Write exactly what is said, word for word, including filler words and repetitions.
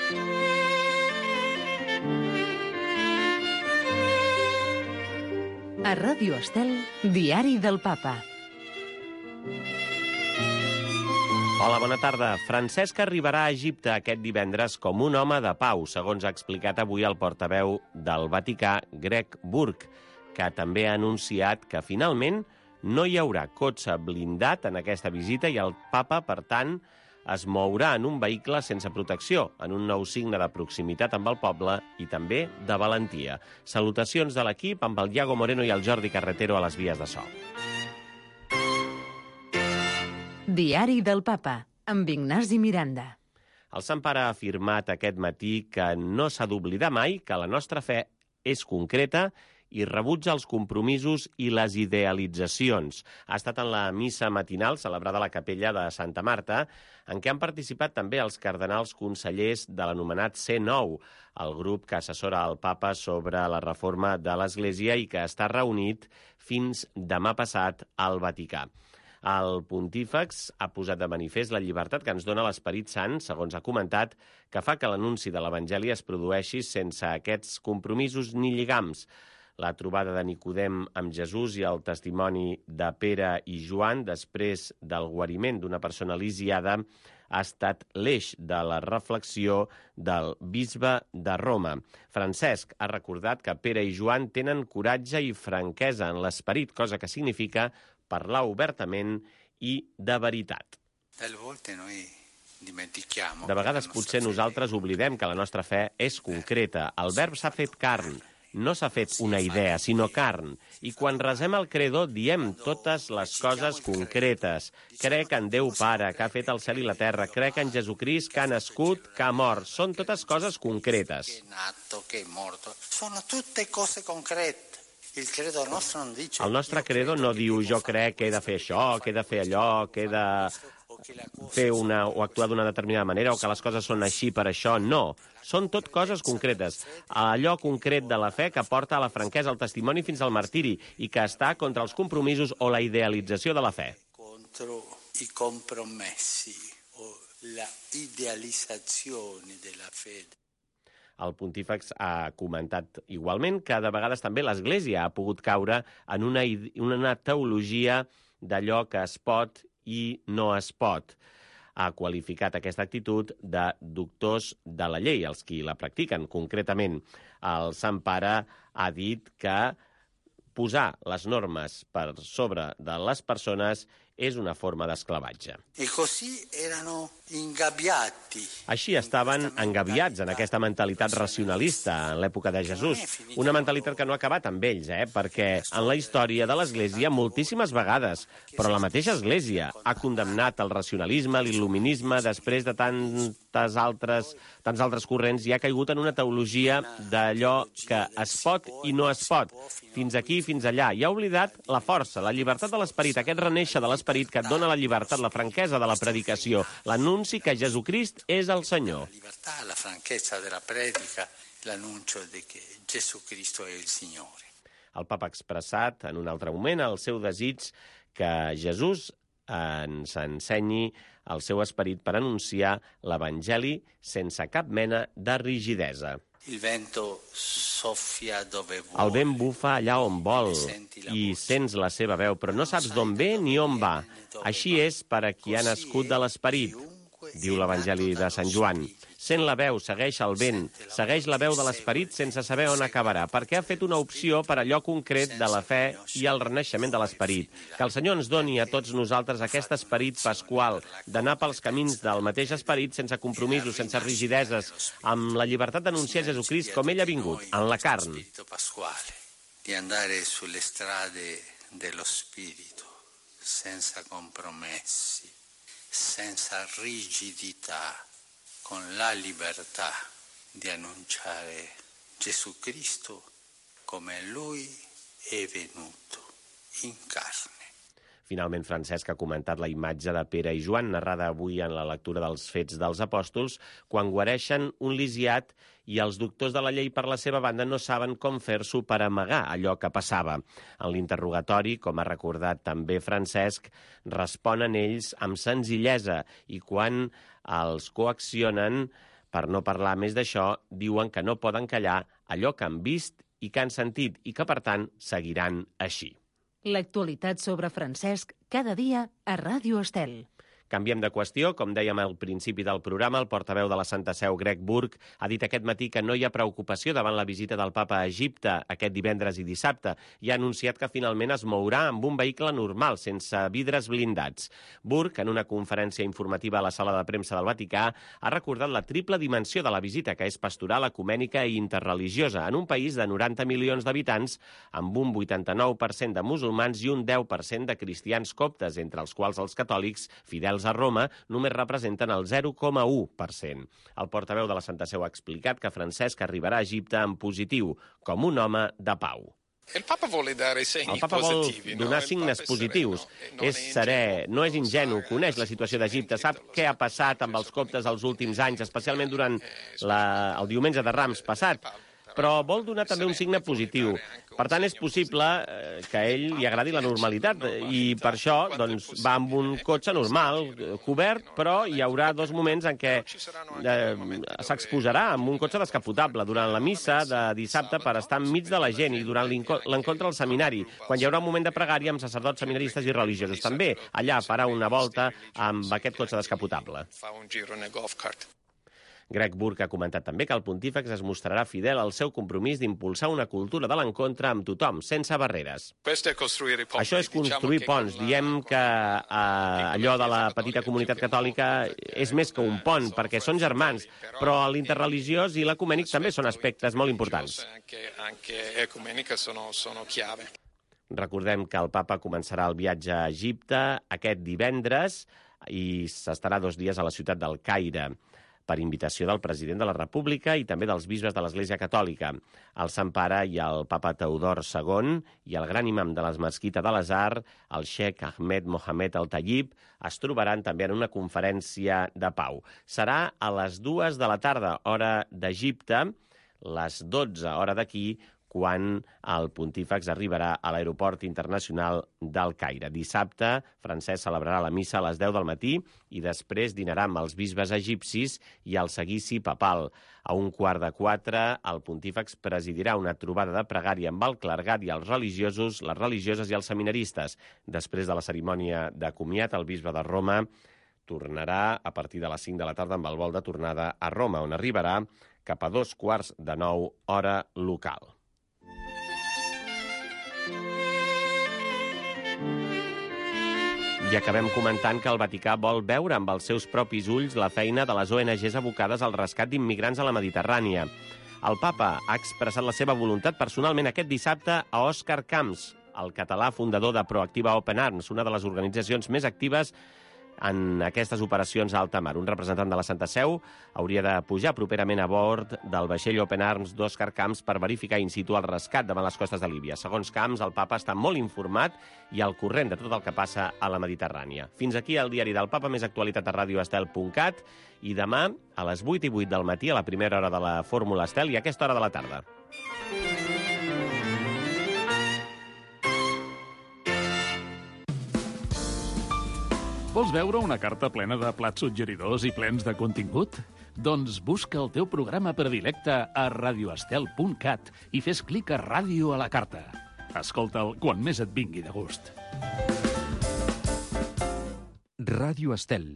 A Ràdio Estel, Diari del Papa. Hola, bona tarda. Francesc arribarà a Egipte aquest divendres com un home de pau, segons ha explicat avui el portaveu del Vaticà, Greg Burke, que també ha anunciat que finalment no hi haurà cotxe blindat en aquesta visita i el papa, per tant, es mourà en un vehicle sense protecció, en un nou signe de proximitat amb el poble i també de valentia. Salutacions de l'equip amb el Iago Moreno i el Jordi Carretero a les vies de so. Diari del Papa, amb Ignasi Miranda. El Sant Pare ha afirmat aquest matí que no s'ha d'oblidar mai que la nostra fe és concreta i rebutja els compromisos i les idealitzacions. Ha estat en la missa matinal celebrada a la capella de Santa Marta, en què han participat també els cardenals consellers de l'anomenat C nou, el grup que assessora al papa sobre la reforma de l'Església i que està reunit fins demà passat al Vaticà. El pontífex ha posat de manifest la llibertat que ens dona l'Esperit Sant, segons ha comentat, que fa que l'anunci de l'Evangeli es produeixi sense aquests compromisos ni lligams. La trobada de Nicodem amb Jesús i el testimoni de Pere i Joan després del guariment d'una persona lisiada ha estat l'eix de la reflexió del bisbe de Roma. Francesc ha recordat que Pere i Joan tenen coratge i franquesa en l'esperit, cosa que significa parlar obertament i de veritat. De vegades potser nosaltres oblidem que la nostra fe és concreta. El verb s'ha fet carn. No s'ha fet una idea, sinó carn. I quan resem el credo, diem totes les coses concretes. Crec en Déu Pare, que ha fet el cel i la terra. Crec en Jesucrist, que ha nascut, que ha mort. Són totes coses concretes. Sono tutte cose concrete. El nostre credo no diu jo crec que he de fer això, que he de fer allò, que he de fer una, o actuar d'una determinada manera, o que les coses són així per això. No, són tot coses concretes. Allò concret de la fe que porta a la franquesa, al testimoni fins al martiri, i que està contra els compromisos o la idealització de la fe. Contra i compromessi o la idealitzazione della fede. El pontífex ha comentat igualment que de vegades també l'Església ha pogut caure en una, una teologia d'allò que es pot i no es pot. Ha qualificat aquesta actitud de doctors de la llei, els qui la practiquen. Concretament, el Sant Pare ha dit que posar les normes per sobre de les persones és una forma d'esclavatge. E così erano ingabbiati. Així estaven engabiats en aquesta mentalitat racionalista en l'època de Jesús. Una mentalitat que no ha acabat amb ells, eh? perquè en la història de l'Església moltíssimes vegades, però la mateixa Església ha condemnat el racionalisme, l'il·luminisme, després de tantes altres, tants altres corrents, i ha caigut en una teologia d'allò que es pot i no es pot, fins aquí, fins allà. I ha oblidat la força, la llibertat de l'esperit, aquest renéixer de l'esperit que et dona la llibertat, la franquesa de la predicació, l'anunci que Jesucrist és el Senyor. La llibertat, la franquesa de la predica, l'annuncio de que Jesucristo è il Signore. El papa ha expressat en un altre moment el seu desig que Jesús ens ensenyi el seu esperit per anunciar l'Evangeli sense cap mena de rigidesa. Il vento soffia dove vuole. El vent bufa allà on vol i sents la seva veu, però no saps d'on ve ni on va. Així és per a qui ha nascut de l'esperit, diu l'Evangeli de Sant Joan. Sent la veu, segueix el vent, segueix la veu de l'esperit sense saber on acabarà, perquè ha fet una opció per allò concret de la fe i el renaixement de l'esperit. Que el Senyor ens doni a tots nosaltres aquest esperit pasqual, d'anar pels camins del mateix esperit sense compromisos, sense rigideses, amb la llibertat d'anunciar Jesucrist com ell ha vingut, en la carn. Di andare sulle strade dello spirito, senza compromessi, senza rigidità, con la libertà di annunciare Jesucristo come Lui è venuto in carne. Finalment, Francesc ha comentat la imatge de Pere i Joan, narrada avui en la lectura dels Fets dels Apòstols, quan guareixen un lisiat i els doctors de la llei, per la seva banda, no saben com fer-s'ho per amagar allò que passava. En l'interrogatori, com ha recordat també Francesc, responen ells amb senzillesa i quan els coaccionen Per no parlar més d'això, diuen que no poden callar allò que han vist i que han sentit i que, per tant, seguiran així. L'actualitat sobre Francesc cada dia a Ràdio Estel. Canviem de qüestió. Com dèiem al principi del programa, el portaveu de la Santa Seu, Greg Burke, ha dit aquest matí que no hi ha preocupació davant la visita del papa a Egipte aquest divendres i dissabte i ha anunciat que finalment es mourà amb un vehicle normal, sense vidres blindats. Burke, en una conferència informativa a la sala de premsa del Vaticà, ha recordat la triple dimensió de la visita, que és pastoral, ecumènica i interreligiosa, en un país de noranta milions d'habitants, amb un vuitanta-nou per cent de musulmans i un deu per cent de cristians coptes, entre els quals els catòlics, fidels a Roma, només representen el zero coma u per cent. El portaveu de la Santa Seu ha explicat que Francesc arribarà a Egipte en positiu, com un home de pau. El Papa vol donar signes positius. És serè, no és ingenu, coneix la situació d'Egipte, sap què ha passat amb els coptes els últims anys, especialment durant la, el diumenge de Rams passat, però vol donar també un signe positiu. Per tant, és possible que a ell li agradi la normalitat i per això doncs, va amb un cotxe normal, cobert, però hi haurà dos moments en què eh, s'exposarà amb un cotxe descapotable durant la missa de dissabte per estar enmig de la gent i durant l'encontre al seminari, quan hi haurà un moment de pregària amb sacerdots, seminaristes i religiosos. També allà farà una volta amb aquest cotxe descapotable. Greg Burke ha comentat també que el pontífex es mostrarà fidel al seu compromís d'impulsar una cultura de l'encontre amb tothom, sense barreres. Això és construir ponts. Diem que eh, allò de la petita comunitat catòlica és més que un pont, perquè són germans, però l'interreligiós i l'ecumènic també són aspectes molt importants. Recordem que el papa començarà el viatge a Egipte aquest divendres i s'estarà dos dies a la ciutat del Caire, per invitació del president de la República i també dels bisbes de l'Església Catòlica. El Sant Pare i el papa Teodor segon i el gran imam de les mesquites de l'Azhar, el xeic Ahmed Mohamed Al-Tayyib, es trobaran també en una conferència de pau. Serà a les dues de la tarda, hora d'Egipte, les dotze, hora d'aquí, quan el pontífex arribarà a l'aeroport internacional del Caire. Dissabte, Francesc celebrarà la missa a les deu del matí i després dinarà amb els bisbes egipcis i el seguici papal. A un quart de quatre, el pontífex presidirà una trobada de pregària amb el clergat i els religiosos, les religioses i els seminaristes. Després de la cerimònia de comiat, el bisbe de Roma tornarà a partir de les cinc de la tarda amb el vol de tornada a Roma, on arribarà cap a dos quarts de nou hora local. I acabem comentant que el Vaticà vol veure amb els seus propis ulls la feina de les O N Ges abocades al rescat d'immigrants a la Mediterrània. El papa ha expressat la seva voluntat personalment aquest dissabte a Òscar Camps, el català fundador de Proactiva Open Arms, una de les organitzacions més actives en aquestes operacions a alta mar. Un representant de la Santa Seu hauria de pujar properament a bord del vaixell Open Arms d'Òscar Camps per verificar in situ el rescat davant les costes de Líbia. Segons Camps, el papa està molt informat i al corrent de tot el que passa a la Mediterrània. Fins aquí el diari del papa, més actualitat a radio estel punt cat i demà a les vuit i vuit del matí, a la primera hora de la Fórmula Estel i a aquesta hora de la tarda. Vols veure una carta plena de plats suggeridors i plens de contingut? Doncs busca el teu programa predilecte a radio estel punt cat i fes clic a Ràdio a la carta. Escolta'l quan més et vingui de gust. Ràdio Estel.